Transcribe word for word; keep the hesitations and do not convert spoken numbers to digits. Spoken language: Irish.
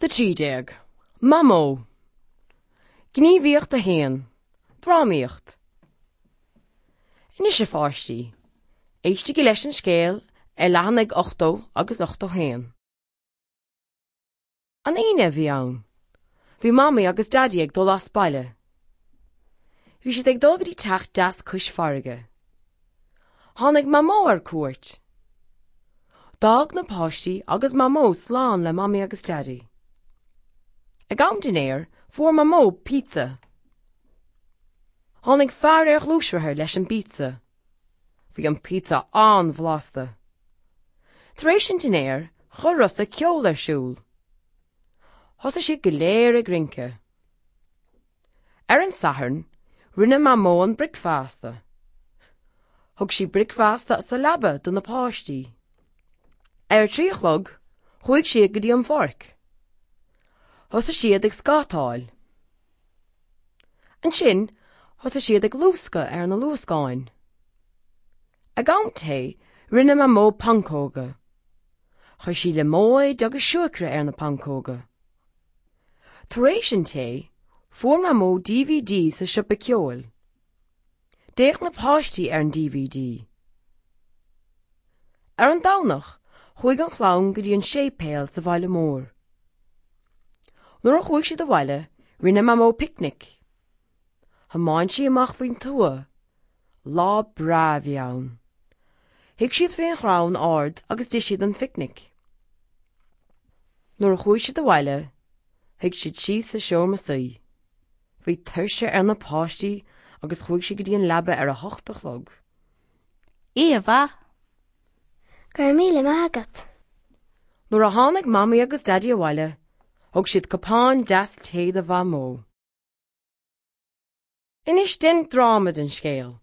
Gníomhaíocht a trí déag. Mamó. Gníomhaíocht a haon. Drámaíocht. Anois a pháistí, éistigí leis an scéal ar leathanaigh ochtó agus ochtó haon. An Aoine a bhí ann. Bhí Mamaí agus Daidí ag dul as baile. Bhí siad ag dul go dtí teach deas cois farraige. Tháinig Mamó ar cuairt. D'fhág na páistí agus Mamó slán le Mamaí agus Daidí. Ag am dinnéir, fuair Mamó pizza. Tháinig fear ar ghluaisrothar leis an bpizza. Bhí an pizza an-bhlasta. Tar éis an dinnéir, chuir Rosa ceol ar siúl. Thosaigh siad go léir ag rince. Ar an Satharn, rinne Mamó an bricfeasta. Thug sí bricfeasta sa leaba do na páistí. Ar a trí a chlog, chuaigh siad go dtí an pháirc. Thosaigh siad ag scátáil. Ansin, thosaigh siad ag luascadh ar na luascáin. Ag am tae, rinne Mamó pancóga. Chuir sí liomóid agus siúcra ar na pancóga. Tar éis an tae, fuair Mamó DVD sa siopa ceoil. D'fhéach na páistí ar an DVD. Ar an Domhnach, chuaigh an chlann go dtí an séipéal sa bhaile mór. Nuair a chuaigh siad abhaile, rinne Mamó picnic. Thiomáin sí amach faoin tuath. Lá breá a bhí ann. Shuigh siad faoin chrann ard agus d'ith siad an phicnic. Nuair a chuaigh siad abhaile, shuigh siad síos sa seomra suí. Bhí tuirse ar na páistí agus chuaigh siad go dtí an leaba ar a hocht a chlog. Oíche mhaith. Go raibh míle maith agat. Nuair a tháinig Mamaí agus Daidí abhaile, thug siad cupán deas tae do Mhamó. Anois déan dráma den scéal.